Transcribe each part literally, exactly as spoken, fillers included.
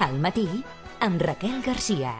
Al matí, amb Raquel Garcia.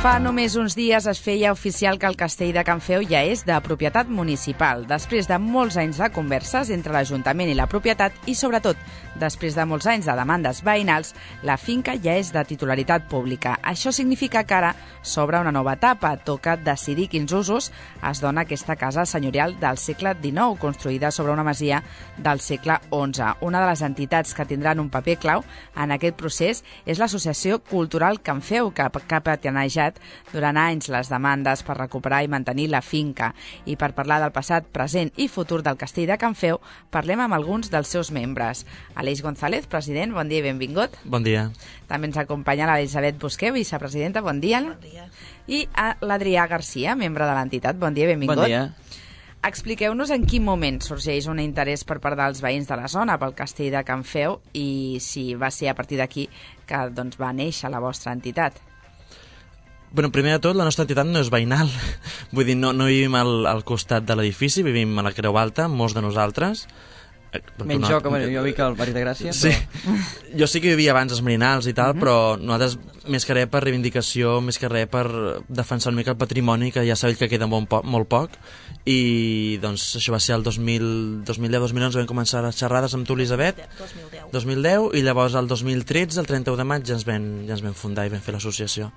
Fa només uns dies es feia oficial que el castell de Can Feu ja és de propietat municipal, després de molts anys de converses entre l'Ajuntament i la propietat i, sobretot, després de molts anys de demandes veïnals, la finca ja és de titularitat pública. Això significa que ara s'obre una nova etapa, toca decidir quins usos es dona a aquesta casa senyorial del segle dinou, construïda sobre una masia del segle onze. Una de les entitats que tindran un paper clau en aquest procés és l'Associació Cultural Can Feu, que, que ha patinejat durant anys les demandes per recuperar i mantenir la finca. I per parlar del passat, present i futur del castell de Can Feu, parlem amb alguns dels seus membres. Aleix González, president, bon dia i benvingut. Bon dia. També ens acompanya l'Elisabet Busqué, vicepresidenta, bon dia. Bon dia. I l'Adrià Garcia, membre de l'entitat, bon dia i benvingut. Bon dia. Expliqueu-nos en quin moment sorgeix un interès per part dels veïns de la zona pel castell de Can Feu i si va ser a partir d'aquí que doncs, va néixer la vostra entitat. Bueno, primer de tot, la nostra entitat no és veïnal. Vull dir, no, no vivim al, al costat de l'edifici, vivim a la Creu Alta, molts de nosaltres. Menys jo, que bueno, jo vic al barri de Gràcia. Sí. Però... Jo sí que vivia abans als Merinals i tal, uh-huh. però nosaltres, més que res per reivindicació, més que res per defensar una mica el patrimoni, que ja sabeu que queda molt poc, molt poc. I doncs això va ser el dos mil deu dos mil onze, vam començar les xerrades amb tu, Elisabet. dos mil deu. I llavors el dos mil tretze, el trenta-u de maig, ja ens vam, ja ens vam fundar i vam fer l'associació.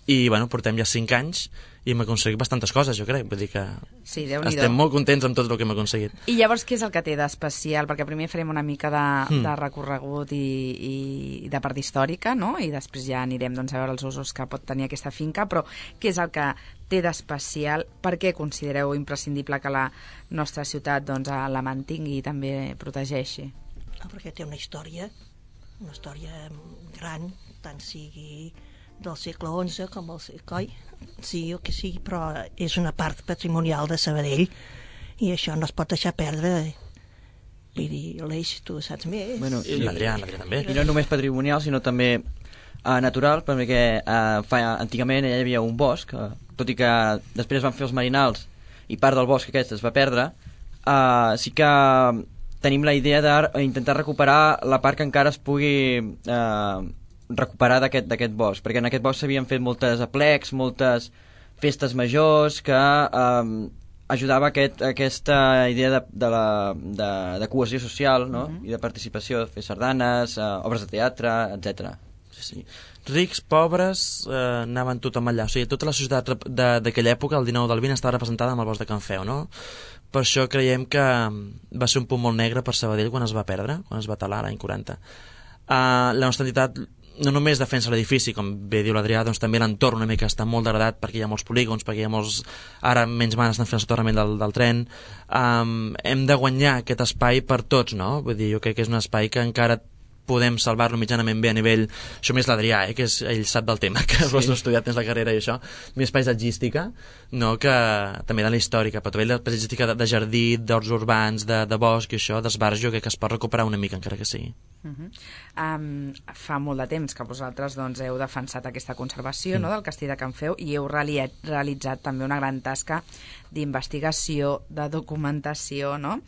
I, bueno, portem ja cinc anys i hem aconseguit bastantes coses, jo crec. Vull dir que sí, estem molt contents amb tot el que hem aconseguit. I llavors, què és el que té d'especial? Perquè primer farem una mica de, mm. de recorregut i, i de part històrica, no? I després ja anirem doncs, a veure els usos que pot tenir aquesta finca, però què és el que té d'especial? Per què considereu imprescindible que la nostra ciutat doncs, la mantingui i també protegeixi? No, perquè té una història, una història gran, tant sigui del segle onze com el coi, sigui el que sigui, però és una part patrimonial de Sabadell i això no es pot deixar perdre. Vull dir, l'Eix, tu saps més. Bueno, i l'Adrià, l'Adrià també. I no només patrimonial, sinó també uh, natural, perquè uh, fa, antigament hi havia un bosc, uh, tot i que després van fer els Merinals i part del bosc aquest es va perdre, uh, sí que tenim la idea d'intentar recuperar la part que encara es pugui... Uh, recuperar d'aquest d'aquest bosc, perquè en aquest bosc s'havien fet moltes aplecs, moltes festes majors que eh, ajudava aquest, aquesta idea de, de, la, de, de cohesió social, no? Uh-huh. I de participació, de fer sardanes, eh, obres de teatre, etcètera. Sí, sí. Rics, pobres, eh, anaven tothom allà. O sigui, tota la societat d'aquella època, el dinou del vint, estava representada amb el bosc de Can Feu, no? Per això creiem que va ser un punt molt negre per Sabadell quan es va perdre, quan es va talar l'any quaranta. Uh, la nostra entitat no només defensa l'edifici, com bé diu l'Adrià, doncs també l'entorn una mica està molt degradat perquè hi ha molts polígons, perquè hi ha molts... Ara menys manes estan fent el soterrament del, del tren. Um, hem de guanyar aquest espai per tots, no? Vull dir, jo crec que és un espai que encara podem salvar-lo mitjanament bé a nivell... Això més l'Adrià, eh, que és, ell sap del tema, que sí. Has estudiat tens la carrera i això. Més paisatgística, no? Que també de la històrica, però també la paisatgística de, de jardí, d'horts urbans, de, de bosc i això, d'esbarjo, que es pot recuperar una mica, encara que sigui. Uh-huh. Um, fa molt de temps que vosaltres doncs, heu defensat aquesta conservació mm. no, del castell de Can Feu i heu reali- realitzat també una gran tasca d'investigació, de documentació, no?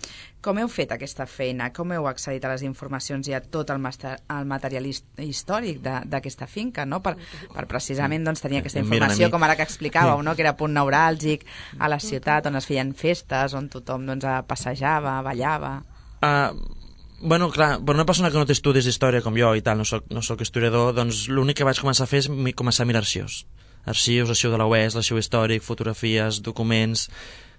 Com heu fet aquesta feina? Com heu accedit a les informacions i a tot el, master, el material històric d'aquesta finca, no? Per, per precisament doncs, tenir aquesta informació, com ara que explicàveu, no? Que era punt neuràlgic a la ciutat on es feien festes, on tothom doncs, passejava, ballava... Uh... Bueno, clar, per una persona que no té estudis d'història com jo i tal, no soc, no soc historiador, doncs l'únic que vaig començar a fer és mi, començar a mirar arxius. Arxius, arxiu de la U E S, l'arxiu històric, fotografies, documents...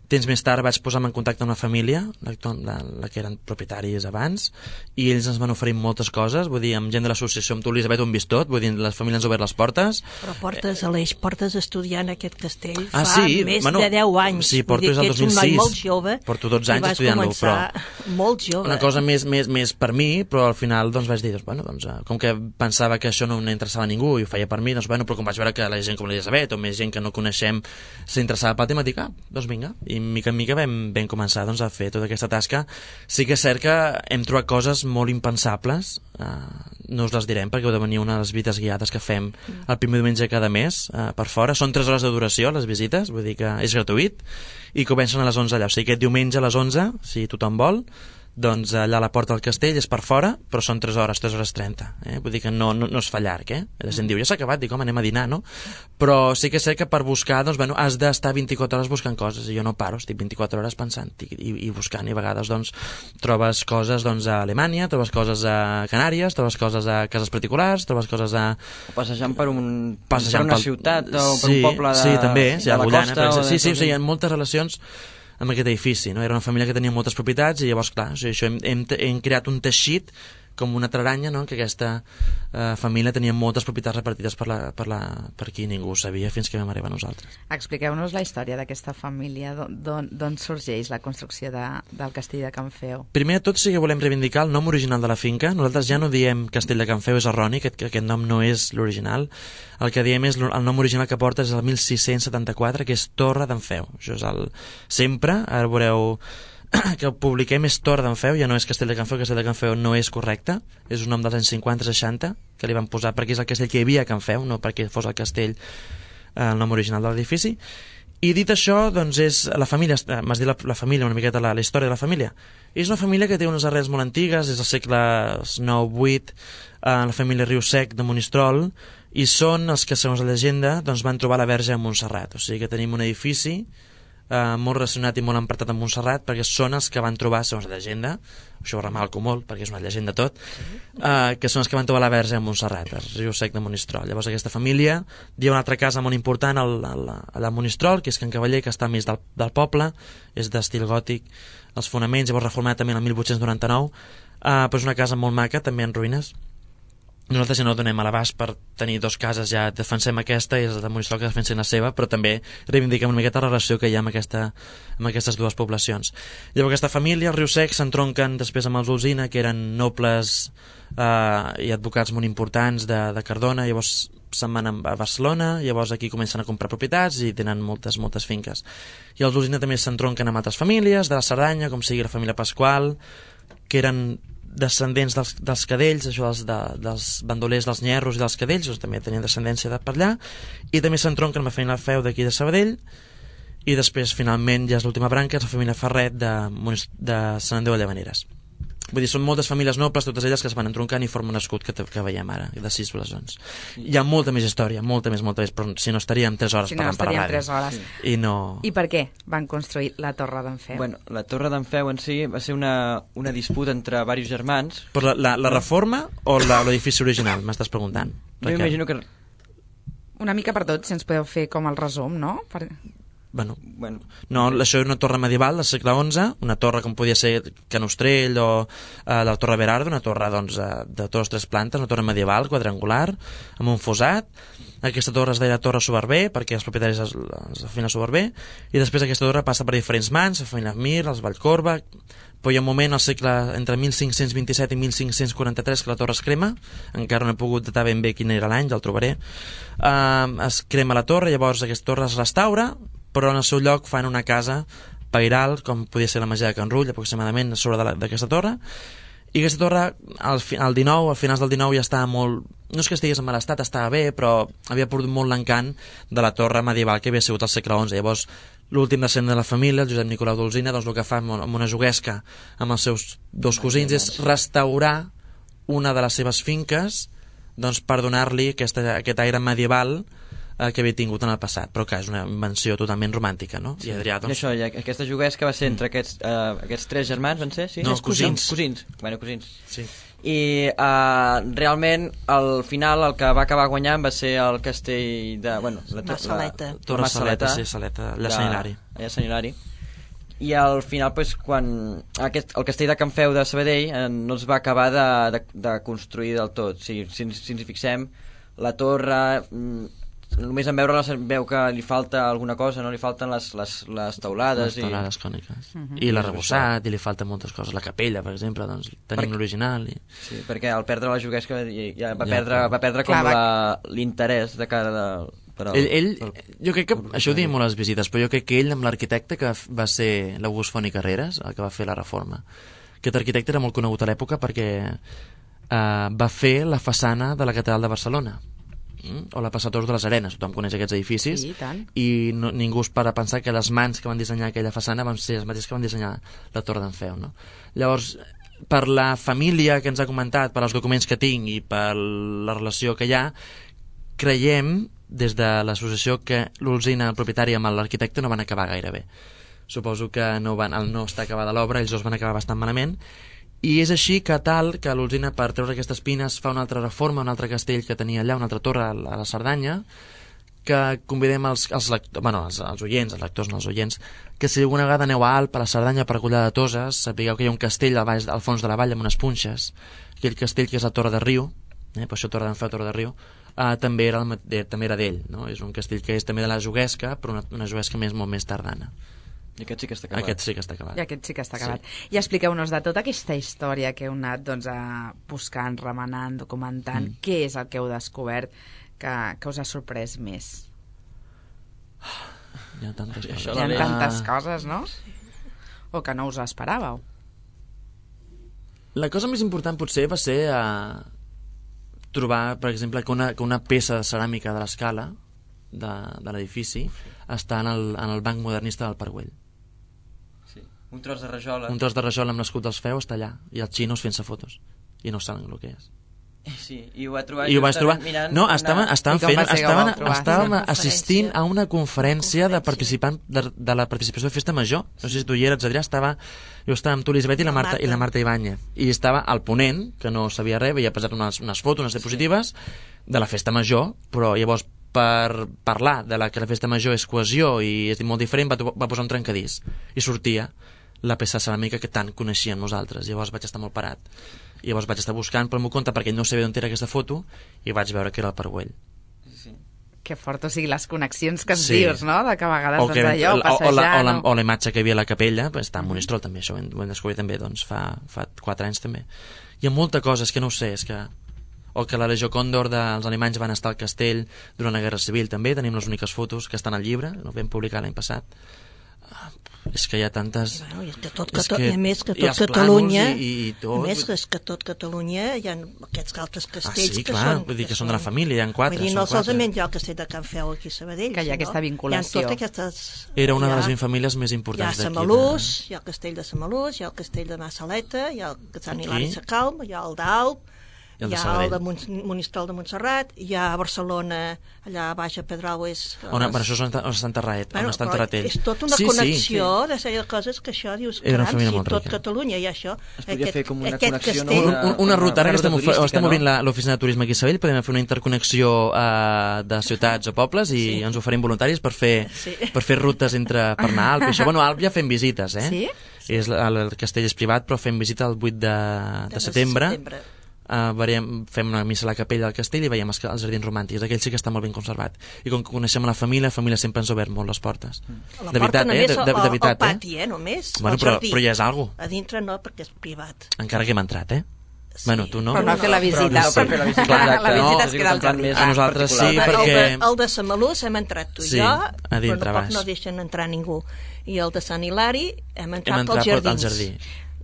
Temps més tard vaig posar-me en contacte amb una família, la, la, la que eren propietaris abans, i ells ens van oferir moltes coses, vull dir, amb gent de l'associació, amb tu, Elisabet, ho hem vist tot, vull dir, les famílies han obert les portes. Però portes, Aleix, portes estudiant aquest castell ah, fa sí? més bueno, de deu anys. Sí, porto des del dos mil sis. Ets un noi molt jove. Porto dotze anys estudiant-lo, però... molt jove. Una cosa més, més, més per mi, però al final doncs, vaig dir, doncs, bueno, doncs, com que pensava que això no interessava a ningú i ho feia per mi, doncs, bueno, però com vaig veure que la gent com l'Elisabet o més gent que no coneixem s'interessava pel tema, dic, ah, doncs vinga, i mica en mica vam, vam començar doncs, a fer tota aquesta tasca. Sí que és cert que hem trobat coses molt impensables, eh, no us les direm perquè heu de venir una de les visites guiades que fem el primer diumenge de cada mes eh, per fora, són tres hores de duració les visites, vull dir que és gratuït i comencen a les onze allà, o sigui aquest diumenge a les onze, si tothom vol, doncs allà a la porta del castell és per fora, però són tres hores, tres hores trenta, eh? Vull dir que no, no, no es fa llarg, eh? La gent diu, ja s'ha acabat, dic, home, anem a dinar, no? Però sí que sé que per buscar, doncs, bueno, has d'estar vint-i-quatre hores buscant coses, i jo no paro, estic vint-i-quatre hores pensant i, i, i buscant, i a vegades, doncs, trobes coses, doncs, a Alemanya, trobes coses a Canàries, trobes coses a cases particulars, trobes coses a... Passejant per, un, Passejant per una pel... sí, per un sí, poble de, sí, també, sí, de la Agullana, costa. Per... Sí, de... sí, sí, hi ha moltes relacions amb aquest edifici, no? Era una família que tenia moltes propietats i llavors, clar, o sigui, això hem, hem, hem creat un teixit com una traranya, no? Que aquesta eh, família tenia moltes propietats repartides per, la, per, la, per aquí ningú ho sabia fins que vam arribar a nosaltres. Expliqueu-nos la història d'aquesta família, d'on sorgeix la construcció de, del castell de Can Feu. Primer de tot sí que volem reivindicar el nom original de la finca. Nosaltres ja no diem castell de Can Feu, és erroni, aquest, aquest nom no és l'original. El que diem és el nom original que porta és el mil sis-cents setanta-quatre, que és Torre d'en Feu. Això és el... Sempre, ara veureu que el publiquem, és Torre d'en Feu, ja no és Castell de Can Feu. Castell de Can Feu no és correcte, és un nom dels anys cinquanta seixanta que li van posar perquè és el castell que hi havia a Can Feu, no perquè fos el castell eh, el nom original de l'edifici. I dit això, doncs és la família, m'has dit la, la família, una miqueta la, la història de la família. És una família que té unes arrels molt antigues, és del segle nou vuit, eh, la família Riusec de Monistrol, i són els que, segons la llegenda, doncs van trobar la Verge a Montserrat. O sigui que tenim un edifici Uh, molt relacionat i molt empratat amb Montserrat perquè són els que van trobar, segons la llegenda, això ho remalco molt perquè és una llegenda tot, uh, que són els que van trobar la Verge a Montserrat, el riu sec de Monistrol. Llavors aquesta família, hi ha una altra casa molt important al, al, al Monistrol, que és Can Cavaller, que està més del, del poble, és d'estil gòtic, els fonaments, llavors reformat també el mil vuit-cents noranta-nou, uh, però és una casa molt maca, també en ruïnes. Nosaltres ja no donem a l'abast per tenir dues cases, ja defensem aquesta i els de Monistrol que defensen la seva, però també reivindiquem una miqueta la relació que hi ha amb, aquesta, amb aquestes dues poblacions. Llavors aquesta família, el riu sec, s'entronquen després amb els Olsina, que eren nobles eh, i advocats molt importants de, de Cardona, llavors se'n van a Barcelona, llavors aquí comencen a comprar propietats i tenen moltes, moltes finques. I els Olsina també s'entronquen amb altres famílies, de la Cerdanya, com sigui la família Pasqual, que eren descendents dels, dels cadells, això dels, de, dels bandolers dels Nyerros i dels cadells, doncs també tenien descendència de per allà, i també s'entronquen amb la família Feu d'aquí de Sabadell, i després finalment ja és l'última branca, és la família Ferret de, de Sant Andreu de Llavaneres. Vull dir, són moltes famílies nobles, totes elles que es van entroncant i formen un escut que, que veiem ara, de sis blasons. Hi ha molta més història, molta més, molta més, però si no estaríem tres hores si no parlant per la ràdio. tres hores. I, no... I per què van construir la Torre d'en Feu? Bueno, la Torre d'en Feu en si va ser una, una disputa entre diversos germans. Però la, la, la reforma o l'edifici original, m'estàs preguntant? Jo imagino que... Una mica per tot, si ens podeu fer com el resum, no? Per... Bueno, bueno, no, això és una torre medieval del segle onze, una torre com podia ser Can Ostrell o eh, la Torre Berardo, una torre doncs, de dues o tres plantes, una torre medieval, quadrangular, amb un fossat. Aquesta torre es deia Torre Soberber, perquè els propietaris es, es la família Soberber, i després aquesta torre passa per diferents mans, la família Mir, els Vallcorba, però hi ha un moment al segle entre mil cinc-cents vint-i-set i mil cinc-cents quaranta-tres que la torre es crema, encara no he pogut datar ben bé quin era l'any, ja el trobaré. Uh, es crema la torre, llavors aquesta torre es restaura, però en el seu lloc fan una casa pairal, com podia ser la Masia de Can Rull, aproximadament a sobre d'aquesta torre, i aquesta torre al, al dinou, al finals del dinou ja estava molt, no és que estigués en mal estat, estava bé, però havia perdut molt l'encant de la torre medieval que havia sigut al segle onze. Llavors l'últim descendent de la família, el Josep Nicolau d'Olsina, doncs el que fa amb una juguesca amb els seus dos cosins és restaurar una de les seves finques, doncs per donar-li aquest aire medieval eh, que havia tingut en el passat, però que és una invenció totalment romàntica, no? Sí. I Adrià, doncs... I això, i aquesta juguesca va ser entre aquests, uh, aquests tres germans, van ser? Sí? No, tres cosins. Cosins, bueno, cosins. Sí. I uh, realment al final el que va acabar guanyant va ser el castell de... Bueno, la, Massaleta. la, Torre la Saleta, sí, Saleta, allà a Sant Hilari. Allà a Sant Hilari. i al final pues, quan aquest, el castell de Can Feu de Sabadell eh, no es va acabar de, de, de construir del tot. Sí, si, si ens hi fixem, la torre mm, només en veure-la es veu que li falta alguna cosa, no? Li falten les, les, les teulades les teulades i... còniques Uh -huh. i l'arrebossat, i li falten moltes coses, la capella per exemple, doncs tenim Per... l'original i... sí, perquè al perdre la juguesca ja va Ja, perdre, clar. va perdre com Clar, va- la- l'interès de cara de, per al, Ell, ell, pel- jo crec que, això ho diem molt a les visites, però jo crec que ell amb l'arquitecte que va ser l'August Font i Carreras, el que va fer la reforma, aquest arquitecte era molt conegut a l'època perquè eh, va fer la façana de la Catedral de Barcelona, mm? o la Passators de les Arenes, tothom coneix aquests edificis, Sí, i tant. i no, ningú es para a pensar que les mans que van dissenyar aquella façana van ser les mateixes que van dissenyar la Torre d'en Feu, no? Llavors, per la família que ens ha comentat, per als documents que tinc i per la relació que hi ha, creiem, des de l'associació, que l'Olzina, el propietari, amb l'arquitecte no van acabar gaire bé. Suposo que no, van, al no estar acabada l'obra, ells dos van acabar bastant malament, i és així que tal que l'Olzina, per treure aquestes pines, fa una altra reforma, un altre castell que tenia allà, una altra torre a la Cerdanya, que convidem els, els, lectors, bueno, els, els oients, els lectors, no els oients, que si alguna vegada aneu a Alp, a la Cerdanya, per Collà de Toses, sapigueu que hi ha un castell al, baix, al fons de la vall amb unes punxes, aquell castell que és la Torre de Riu, eh, per això Torre d'en Feu, Torre de Riu, eh, també era, el, de, també era d'ell, no? És un castell que és també de la Juguesca, però una, una Juguesca més molt més tardana. I aquest sí que està acabat. Aquest sí que està acabat. I aquest sí que està acabat. Sí. I expliqueu-nos de tota aquesta història que heu anat doncs, a buscant, remenant, documentant, mm. què és el que heu descobert que, que us ha sorprès més? Hi ha tantes coses. Això Hi ha la tantes coses, no? O que no us esperàveu. La cosa més important potser va ser eh, trobar, per exemple, que una, que una peça de ceràmica de l'escala de, de l'edifici està en el, en el banc modernista del Parc Güell. Sí. Un tros de rajola. Un tros de rajol amb l'escut dels Feu està allà, i els xinos fent-se fotos, i no saben el que és. Sí, i ho va trobar... I ho vaig trobar... Mirant, No, estaven, estaven I com fent... va ser que ho Estaven, vau trobar? estàvem Una assistint conferència. a una conferència de Una conferència. participant de, de la participació de Festa Major. No sé si tu hi eres, Adrià, estava... Jo estava amb tu, Elisabet, i la La Marta, Marta. i la Marta Ibáñez. I estava el ponent, que no sabia res, havia passat unes, unes fotos, unes diapositives, de la Festa Major, però llavors per parlar de la que la Festa Major és cohesió i és molt diferent, va, va posar un trencadís. I sortia la peça ceràmica que tant coneixíem nosaltres. Llavors vaig estar molt parat. I llavors vaig estar buscant pel meu compte perquè ell no sabia d'on era aquesta foto i vaig veure que era el Parc Güell. Sí. Que fort, o sigui, les connexions que ens Sí. dius, no? De que a vegades O, que, doncs, allò, o, o, la, passejant... o, la, o- o la imatge que hi havia a la capella pues, està en Monistrol també, això ho hem, ho hem descobert també doncs, fa, fa quatre anys també. Hi ha molta cosa, és que no ho sé, és que o que la Legió Còndor dels alemanys van estar al castell durant la Guerra Civil també, tenim les úniques fotos que estan al llibre, no vam publicar l'any passat. Ah, és que hi ha tantes... Bueno, i és que tot, És Cata... que a més que hi tot ha els Catalunya, plànols i, i tot. a més és que tot Catalunya hi ha aquests altres Ah, castells sí, que clar, són... vull dir que són de la família, hi ha quatre. Vull dir, són no quatre. solament hi ha el castell de Can Feu aquí a Sabadell, Que hi ha sinó aquesta vinculació. Hi ha totes aquestes... Era una hi de ha- les vint famílies més Hi ha importants d'aquí. Samalús, hi ha el castell de Samalús, hi ha el castell de Massaleta, hi ha el Sant Aquí. Hilari Sacalm, hi ha el d'Alp, I el hi de ha Sabadell. el de Mon Monistrol de Montserrat, hi ha a Barcelona, allà baix a Pedralbes... On, bueno, això és on, on està enterrat, on està enterrat ell. És tota una sí, connexió sí. de sèrie de coses que això dius, Era una caram, família si molt tot rica. Catalunya hi ha això... Es podria fer com una aquest connexió, no? castell, Un, un, una ruta, ara que estem, turística, estem no? obrint la- l'oficina de turisme aquí a Sabadell, podem fer una interconnexió eh, de ciutats o pobles i Sí. ens oferim voluntaris per fer, Sí. per fer rutes entre, per anar a Alp. I això, bueno, a Alp ja fem visites, eh? Sí? És, el, el castell és privat, però fem visita el vuit de, de setembre. Uh, veiem, fem una missa a la capella del castell i veiem els, els jardins romàntics. Aquell sí que està molt ben conservat. I com que coneixem la família, la família sempre ens ha obert molt les portes. La De porta veritat, eh? només De, de, de al- veritat, al pati, eh? eh? Només, Bueno, al però, jardí. però ja és algo. A dintre no, perquè és privat. Encara que hem entrat, eh? Sí. Bueno, tu no. Però no ha fet la visita. Però no, per fer la visita, Clar, exacte. la visita no, es queda al és un plan jardí. més A nosaltres sí, particular. perquè- El de, el de Samalús hem entrat tu i Sí, jo, a però dintre tampoc baix. no deixen entrar ningú. I el de Sant Hilari hem entrat, Hem entrat pels al jardins. jardí.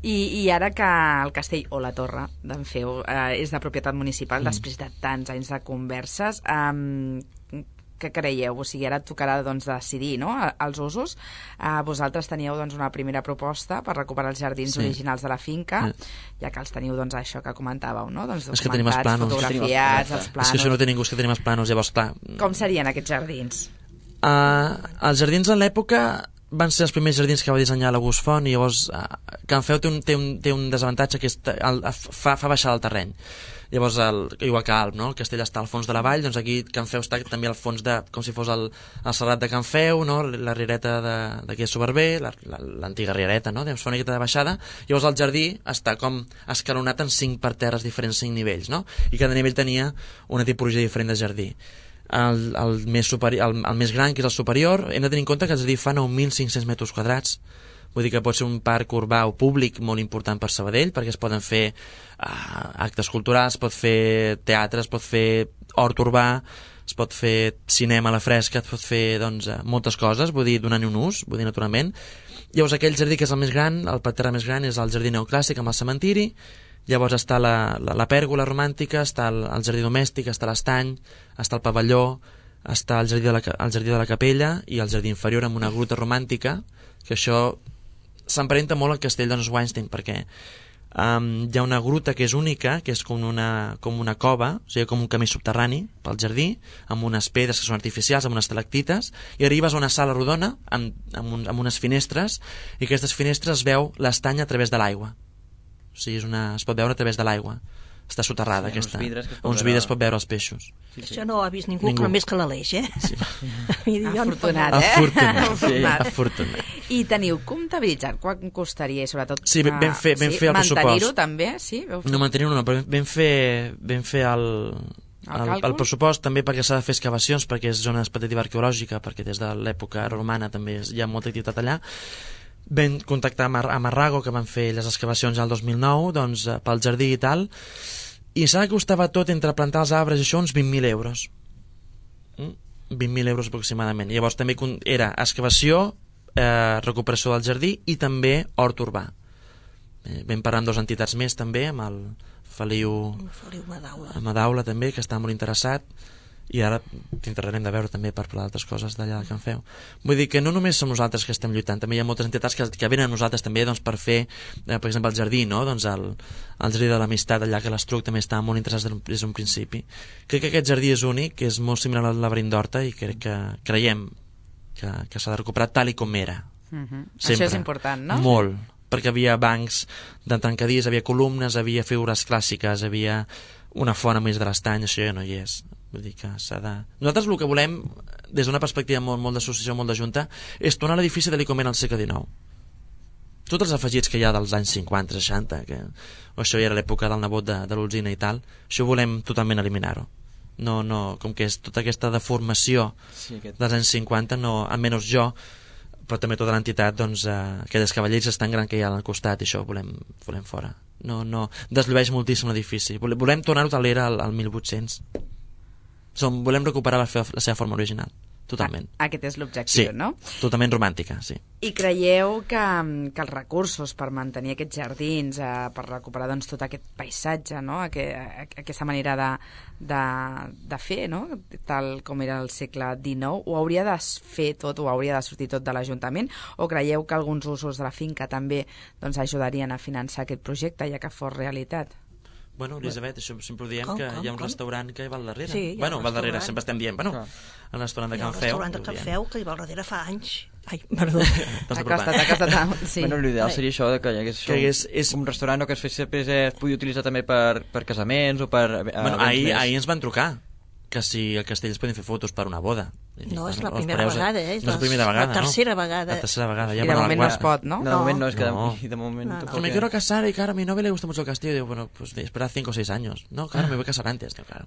I, I ara que el castell o la torre d'en Feu eh, és de propietat municipal, mm. després de tants anys de converses, eh, què creieu? O sigui, ara et tocarà doncs, decidir, no?, els usos. Eh, vosaltres teníeu doncs, una primera proposta per recuperar els jardins Sí. originals de la finca, Sí. ja que els teniu, doncs, això que comentàveu, no? Doncs, És que tenim els documentats, plànols. fotografiats, els És plànols... que això no té ningú, és que tenim els plànols, llavors, clar... Com serien aquests jardins? Uh, els jardins en l'època van ser els primers jardins que va dissenyar l'August Font, i llavors eh, Can Feu té un, té un, té un desavantatge que és, el, fa, fa baixar el terreny. Llavors, el, igual que Alp, no? El castell està al fons de la vall, doncs aquí Can Feu està també al fons de, com si fos el, el serrat de Can Feu, no? La riereta d'aquí a Soberber, l'antiga la, riereta, no? Llavors fa una miqueta de baixada, llavors el jardí està com escalonat en cinc parterres diferents, cinc nivells, no? I cada nivell tenia una tipologia diferent de jardí. El, el, més superi, el, el més gran, que és el superior, hem de tenir en compte que el jardí fa nou mil cinc-cents metres quadrats. Vull dir que pot ser un parc urbà o públic molt important per Sabadell, perquè es poden fer uh, actes culturals, es pot fer teatre, es pot fer hort urbà, es pot fer cinema a la fresca, es pot fer doncs, moltes coses, vull dir, donant-hi un ús, vull dir, naturalment. Llavors aquell jardí que és el més gran, el parterre més gran, és el jardí neoclàssic amb el cementiri. Llavors està la, la, la pèrgola romàntica, està el, el jardí domèstic, està l'estany, està el pavelló, està el jardí, de la, el jardí de la capella i el jardí inferior amb una gruta romàntica, que això s'emparenta molt al castell de Neuschwanstein, perquè um, hi ha una gruta que és única, que és com una, com una cova, o sigui, com un camí subterrani pel jardí, amb unes pedres que són artificials, amb unes estalactites, i arribes a una sala rodona amb, amb, un, amb unes finestres, i aquestes finestres es veu l'estany a través de l'aigua. O sigui, és una, es pot veure a través de l'aigua. Està soterrada, sí, aquesta. Uns vidres, uns vidres pot veure els peixos. Sí, sí. Això no ho ha vist ningú, ningú. Però més que l'Aleix, eh? Sí. Afortunat, eh? Afortunat, sí. Afortunat. I teniu comptabilitzat quan costaria, i sobretot... Sí, vam fer, vam sí, fer el pressupost. Mantenir-ho també, sí? Veu fer... No, mantenir-ho no, però vam fer, vam fer el, el, el, el pressupost també perquè s'ha de fer excavacions, perquè és zona expectativa arqueològica, perquè des de l'època romana també hi ha molta activitat allà. Vam contactar a Marrago, que van fer les excavacions al dos mil nou, doncs, pel jardí i tal, i s'ha costava tot entre plantar els arbres i això uns vint mil euros. vint mil euros aproximadament. Llavors també era excavació, eh, recuperació del jardí i també hort urbà. Eh, vam parlar amb dues entitats més també, amb el Feliu, Feliu Madaula. Madaula també, que està molt interessat, i ara t'interrarem de veure també per parlar d'altres coses d'allà de Can Feu. Vull dir que no només som nosaltres que estem lluitant, també hi ha moltes entitats que, que venen a nosaltres també doncs, per fer, eh, per exemple, el jardí, no? Doncs el, el jardí de l'amistat allà, que l'Estruc també estava molt interessat des d'un principi. Crec que aquest jardí és únic, que és molt similar al laberint d'Horta, i crec que creiem que, que s'ha de recuperar tal i com era. Uh-huh. Això és important, no? Molt, perquè havia bancs de tancadís, havia columnes, havia figures clàssiques, havia una font a mig de l'estany, això ja no hi és. Vull dir que s'ha de... Nosaltres el que volem, des d'una perspectiva molt, molt d'associació, molt de junta, és tornar a l'edifici de l'Icomen al segle dinou. Tots els afegits que hi ha dels anys cinquanta, seixanta, que... o això ja era l'època del nebot de, de l'Olzina i tal, això volem totalment eliminar-ho. No, no, com que és tota aquesta deformació sí, aquest... dels anys cinquanta, no, almenys jo, però també tota l'entitat, doncs, eh, aquelles cavalleries tan gran que hi ha al costat, i això ho volem, volem fora. No, no, desllueix moltíssim l'edifici. Volem, volem tornar-ho tal era al, al mil vuit-cents. Som, volem recuperar la, fe, la seva forma original, totalment. Ah, aquest és l'objectiu, sí, no? Totalment romàntica, sí. I creieu que, que els recursos per mantenir aquests jardins, eh, per recuperar doncs, tot aquest paisatge, no? Aquest, aquesta manera de, de, de fer, no? Tal com era el segle dinou, ho hauria de fer tot, o hauria de sortir tot de l'Ajuntament, o creieu que alguns usos de la finca també doncs, ajudarien a finançar aquest projecte, ja que fos realitat? Bueno, Elisabet, això sempre ho diem, com, que com, hi ha un com? restaurant que hi va al darrere. Sí, bueno, va al darrere, sempre estem dient, bueno, clar. El restaurant de Can Feu. El restaurant de Can Feu, que hi va al darrere fa anys. Ai, perdó. Ha costat, ha costat. Sí. Bueno, l'ideal seria això, de que hi hagués que és, és... un restaurant o que es fes sempre es pugui utilitzar també per, per casaments o per... Bueno, ahir, ahir ens van trucar que si al castell es poden fer fotos per una boda. No, és la primera preus, vegada, eh? No és la primera vegada, la tercera no? vegada. La tercera vegada. Ja I de moment no es pot, ¿no? No, de moment no, es que no. De, de moment no, no. tampoco. Me quiero casar y claro, a mi novia le gusta mucho el castillo. Y digo, bueno, pues espera cinco o seis años. No, claro, me voy a casar antes. No, claro.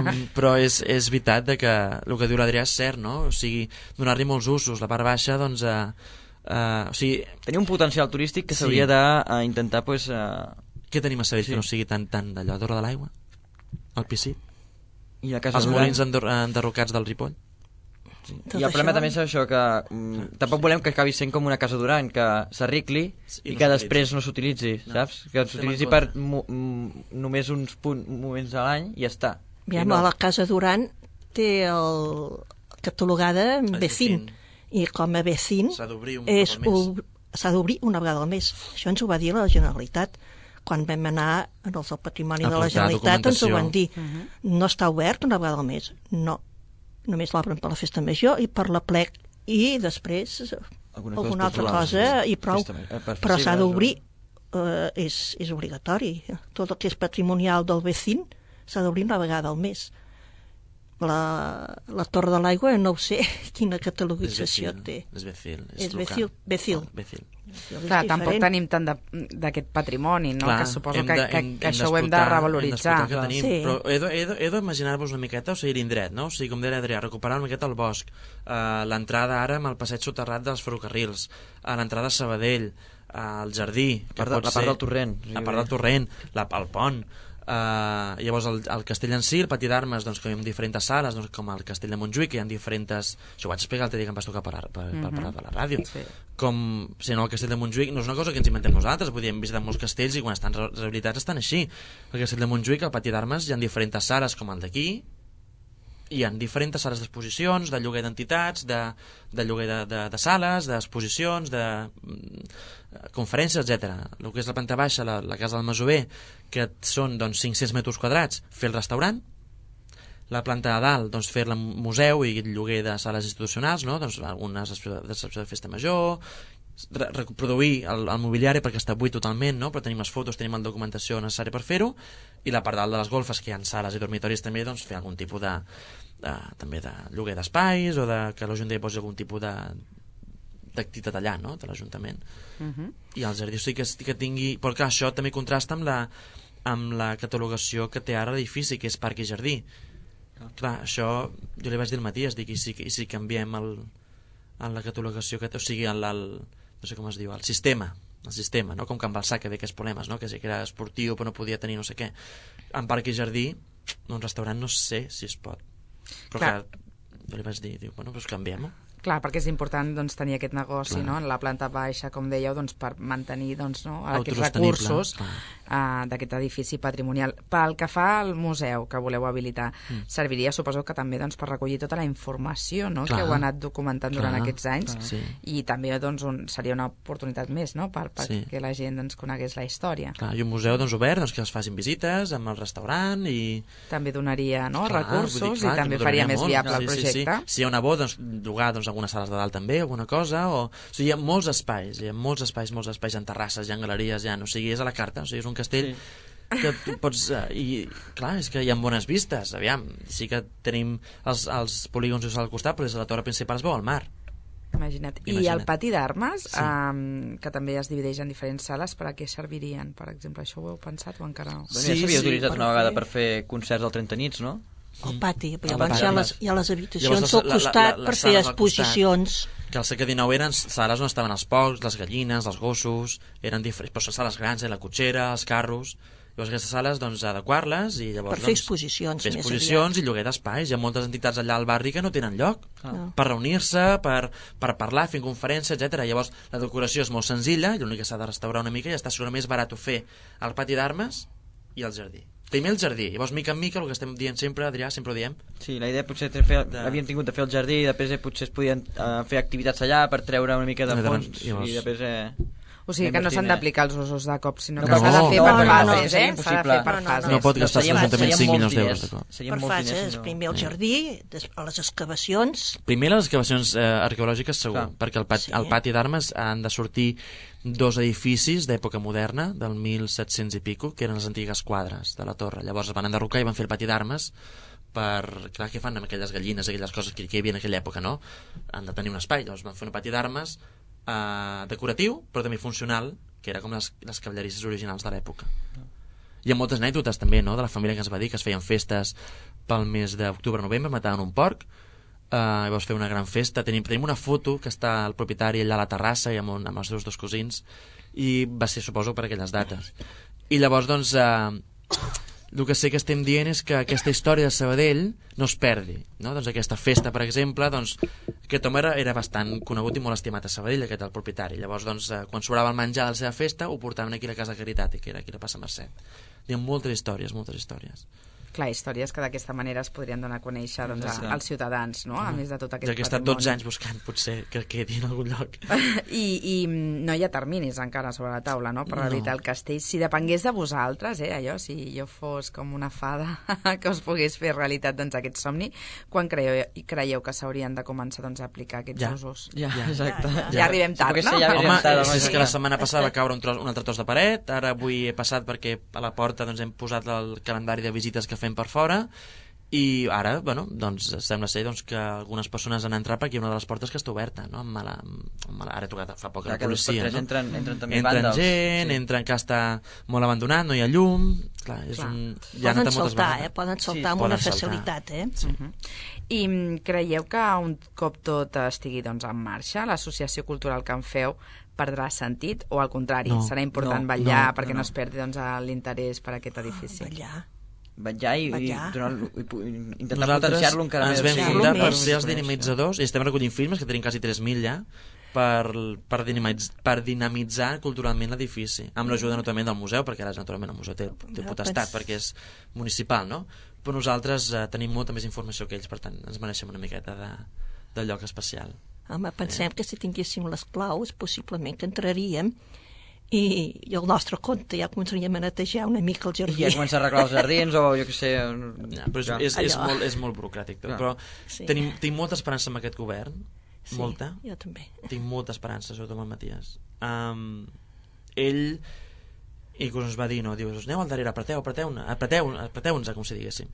um, però és, és veritat de que el que diu l'Adrià és cert, no? O sigui, donar-li molts usos. La part baixa, doncs... Uh, uh, o sigui... Tenir un potencial turístic que s'hauria sí. d'intentar, pues... Uh... Què tenim a Sabell sí. que no sigui tan, tan d'allò, d'Hora de l'Aigua? El Piscit? I la casa els molins enderrocats del Ripoll? Sí. I el problema també és això, que mm, tampoc volem que acabi sent com una casa Duran, que s'arregli i, i no que després no s'utilitzi, no. Saps? Que s'utilitzi per mo només uns punt, moments a l'any i ja està. Ja, no. La casa Duran té el catalogada Vecín, i com a Vecín s'ha d'obrir una vegada al mes. Això ens ho va dir la Generalitat. Quan vam anar als del Patrimoni de la Generalitat ens ho van dir. Uh -huh. No està obert una vegada al mes. No. Només l'obren per la festa major i per la plec i després Algunes alguna coses altra culturals, cosa sí. i prou, Tristament. Eh, per però s'ha festivals, d'obrir, eh, és, és obligatori. Tot el que és patrimonial del vecín s'ha d'obrir una vegada al mes. La, la Torre de l'Aigua no ho sé quina catalogització té. És Becil. És local. Becil. Becil. Oh, Becil. Clar, tampoc tenim tant de- d'aquest patrimoni, no? Clar, que suposo hem que, de- que, hem- que hem això ho hem de d'explotar- revaloritzar. hem d'explotar el que tenim, Sí. però he de- he de- he d'imaginar-vos una miqueta, o sigui, l'indret, no? O sigui, com deia Adrià, recuperar una miqueta el bosc, uh, l'entrada ara amb el passeig soterrat dels ferrocarrils, uh, l'entrada a Sabadell, uh, el jardí, que part de- pot la part ser- del torrent. la part del torrent, la, el pont, Uh, llavors el, el castell en si, el pati d'armes, doncs, que hi ha diferents sales, doncs, com el castell de Montjuïc, que hi ha diferents... Això ho vaig explicar l'altre dia que em vas tocar per, per, per parlar de la ràdio. Sí. Com, si no, el castell de Montjuïc no és una cosa que ens inventem nosaltres, vull dir, hem visitat molts castells i quan estan re- rehabilitats estan així. El castell de Montjuïc, el pati d'armes, hi ha diferents sales com el d'aquí, hi ha diferents sales d'exposicions, de lloguer d'entitats, de, de lloguer de, de, de sales, d'exposicions, de mm, conferències, etcètera. El que és la planta baixa, la, la casa del Masover, que són doncs, cinc-cents metres quadrats, fer el restaurant. La planta de dalt, doncs, fer-la museu i lloguer de sales institucionals, no? Doncs, algunes d'excepció de festa major, re reproduir el, el mobiliari perquè està buit totalment, no? Però tenim les fotos, tenim la documentació necessària per fer-ho, i la part dalt de les golfes, que hi ha sales i dormitoris també, doncs fer algun tipus de, de també de lloguer d'espais o de que l'Ajuntament posi algun tipus de d'activitat allà, no? De l'Ajuntament. Uh -huh. I el jardí sí que, que tingui... Però clar, això també contrasta amb la, amb la catalogació que té ara l'edifici, que és parc i jardí. Clar, això jo li vaig dir al Matías, dic, i si, i si canviem el, en la catalogació que té, o sigui, el, el, no sé com es diu, el sistema, el sistema, no? Com Can Balsà, que ve aquests problemes, no? Que sí que era esportiu però no podia tenir no sé què. En parc i jardí, un restaurant no sé si es pot. Però clar, clar jo li vaig dir, diu, bueno, doncs canviem-ho. Clar, perquè és important doncs, tenir aquest negoci, Clar. no? En la planta baixa, com dèieu, doncs, per mantenir doncs, no? aquests Autosostenible, recursos clar. uh, d'aquest edifici patrimonial. Pel que fa al museu que voleu habilitar, Mm. serviria, suposo que també doncs, per recollir tota la informació, no? Clar. Que heu anat documentant Clar, durant aquests anys, clar. Sí. i també doncs, un, seria una oportunitat més, no? Per, per Sí. que la gent doncs, conegués la història. Clar, i un museu doncs, obert, doncs, que es facin visites amb el restaurant i... També donaria no? Clar, recursos vull dir, clar, i també que faria donaria més molt. viable sí, el sí, projecte. Sí, sí. Si hi ha una bo, doncs llogar doncs, algunes sales de dalt també, alguna cosa, o... o sigui, hi ha molts espais, hi ha molts espais, molts espais, hi ha terrasses, hi ha galeries, hi ha... o sigui, és a la carta, o sigui, és un castell sí. que tu pots... Uh, I, clar, és que hi ha bones vistes, aviam, sí que tenim els, els polígons al costat, però des de la torre principal es veu al mar. Imagina't. I Imagina't. el pati d'armes, Sí. um, que també es divideix en diferents sales, per a què servirien? Per exemple, això ho heu pensat o encara no? Bueno, Sí, ja s'havia sí, utilitzat per una vegada fer- per fer concerts al trenta nits, no? El pati, El llavors pati, hi ha, home. les, hi ha les habitacions Llavors, al la- la- costat la- les per fer sales al costat. exposicions. Que al segle dinou eren sales on estaven els porcs, les gallines, els gossos, eren diferents, però són sales grans, eh? La cotxera, els carros. Llavors aquestes sales, doncs, adequar-les i llavors... Per fer doncs, exposicions, fer més exposicions i lloguer d'espais. Hi ha moltes entitats allà al barri que no tenen lloc No. per reunir-se, per, per parlar, fer conferències, etcètera. Llavors la decoració és molt senzilla i l'únic que s'ha de restaurar una mica i ja està segurament més barat fer el pati d'armes i el jardí. Primer el jardí, llavors mica en mica el que estem dient sempre, Adrià, sempre ho diem. Sí, la idea potser de fer, De- havien tingut de fer el jardí i després eh, potser es podien eh, fer activitats allà per treure una mica de Llavors- fons llavors- i després... Eh, O sigui, que no s'han invertir, eh? d'aplicar els usos de cop, sinó No, que no, s'ha de fer no, per no, no, fases, no, eh? seria S'ha de impossible. fer per No, no, fases. No pot gastar serien- l'Ajuntament serien cinc molts milions d'euros diners. de cop. Serien Per molts fases, diners, si no- primer el jardí, des, a les excavacions, Primer les excavacions eh, arqueològiques segur, Clar. perquè al pati, Sí. al pati d'armes han de sortir dos edificis d'època moderna, del mil set-cents i pico, que eren les antigues quadres de la torre. Llavors es van enderrocar i van fer el pati d'armes per... Clar, què fan amb aquelles gallines, aquelles coses que, que hi havia en aquella època, no? Han de tenir un espai, llavors van fer un pati d'armes eh, decoratiu, però també funcional, que era com les, les cavallerisses originals de l'època. Hi ha moltes anècdotes també, no?, de la família que ens va dir que es feien festes pel mes d'octubre-novembre, mataven un porc, eh, llavors fer una gran festa. Tenim, tenim una foto que està el propietari allà a la terrassa i amb, un, amb els seus dos cosins, i va ser, suposo, per aquelles dates. I llavors, doncs, eh, el que sé que estem dient és que aquesta història de Sabadell no es perdi, no? Doncs aquesta festa, per exemple, doncs, aquest home era, era bastant conegut i molt estimat a Sabadell, aquest el propietari. Llavors, doncs, eh, quan sobrava el menjar de la seva festa, ho portaven aquí a la Casa de Caritat, que era aquí a la Passa Mercè. Hi ha moltes històries, moltes històries. Clar, històries que d'aquesta manera es podrien donar a conèixer doncs, a, Exacte. als ciutadans, no? A més de tot aquest Ja que he estat dotze anys buscant, potser que quedi en algun lloc. I, I no hi ha terminis encara sobre la taula, no?, per realitzar No. el castell. Si depengués de vosaltres, eh, allò, si jo fos com una fada que us pogués fer realitat doncs, aquest somni, quan creieu, creieu que s'haurien de començar doncs, a aplicar aquests Ja. usos? Ja, exacte. Ja, Ja arribem tard, Perquè no? sí, ja arribem Home, tard, és, és que la exacte. setmana passada va caure un, tros, un altre tros de paret, ara avui he passat perquè a la porta doncs, hem posat el calendari de visites que fem per fora, i ara, bueno, doncs sembla ser doncs, que algunes persones han entrat perquè hi ha una de les portes que està oberta, no? Amb mala, amb mala, ara he trucat fa poc a Clar, la que dos per policia, tres no? entren, entren també Entren vàndals. gent, Sí. entren que està molt abandonat, no hi ha llum, clar, és Clar. un... Ja ha Poden anat moltes saltar, vegades. eh? Poden saltar Sí, amb poden una saltar. facilitat, eh? Sí. Uh -huh. I mm, creieu que un cop tot estigui doncs, en marxa, l'associació cultural que en feu perdrà sentit, o al contrari, No, serà important no, vetllar no, perquè no, no, no. es perdi doncs, l'interès per aquest edifici? Ballar. Vetllar i, i, Vetllar. donar, i, pu- i intentar Nosaltres potenciar-lo encara ens més. vam Sí. fundar per Més. ser els dinamitzadors i estem recollint firmes, que tenim quasi tres mil ja, per, per, dinamitz, per dinamitzar culturalment l'edifici, amb l'ajuda naturalment del museu, perquè ara naturalment el museu té, té Ja, potestat, pens- perquè és municipal, no? Però nosaltres eh, tenim molta més informació que ells, per tant ens mereixem una miqueta de, de lloc especial. Home, pensem que si tinguéssim les claus, possiblement que entraríem i, i el nostre compte ja començaríem a netejar una mica el I jardí. ja començar a arreglar els jardins o jo què sé... Ja, però és, ja. és, és, Allò. molt, és molt burocràtic tot, Clar. però Sí. tenim, tinc molta esperança en aquest govern, Sí, molta. Jo també. Tinc molta esperança, sobretot amb el Matías. Um, ell inclús ens va dir, no, diu, aneu al darrere, apreteu, apreteu, apreteu, apreteu-nos, com si diguéssim.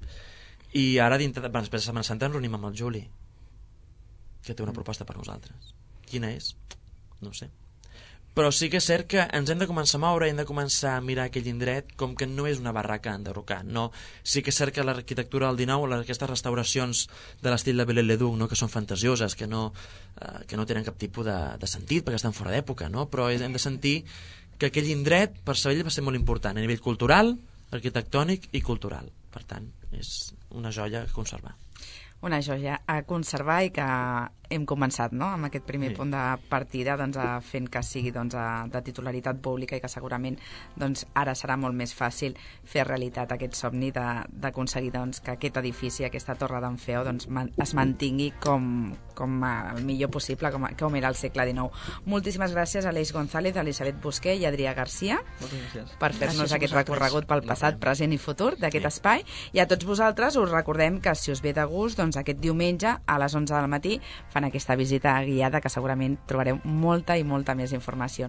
I ara, dintre, bueno, després de Setmana Santa, ens reunim amb el Juli, que té una proposta per nosaltres. Quina és? No ho sé. Però sí que és cert que ens hem de començar a moure, hem de començar a mirar aquell indret com que no és una barraca enderrocant, no? Sí que és cert que l'arquitectura del dinou, aquestes restauracions de l'estil de Viollet-le-Duc, no? Que són fantasioses, que no, eh, que no tenen cap tipus de, de sentit perquè estan fora d'època, no? Però hem de sentir que aquell indret per Sabadell va ser molt important a nivell cultural, arquitectònic i cultural. Per tant, és una joia a conservar. Una joia a conservar i que hem començat, no?, amb aquest primer Sí. punt de partida, doncs, a fent que sigui doncs, a, de titularitat pública i que segurament doncs, ara serà molt més fàcil fer realitat aquest somni de- d'aconseguir doncs, que aquest edifici, aquesta torre d'en Feo, doncs, man, es mantingui com, com el millor possible, com, com era el segle dinou. Moltíssimes gràcies a Aleix González, a Elisabet Busqué i a Adrià Garcia Moltes gràcies. per fer-nos Gràcies a aquest vosaltres. recorregut pel passat, present i futur d'aquest espai. I a tots vosaltres us recordem que si us ve de gust, doncs aquest diumenge a les onze del matí fan aquesta visita guiada que segurament trobareu molta i molta més informació.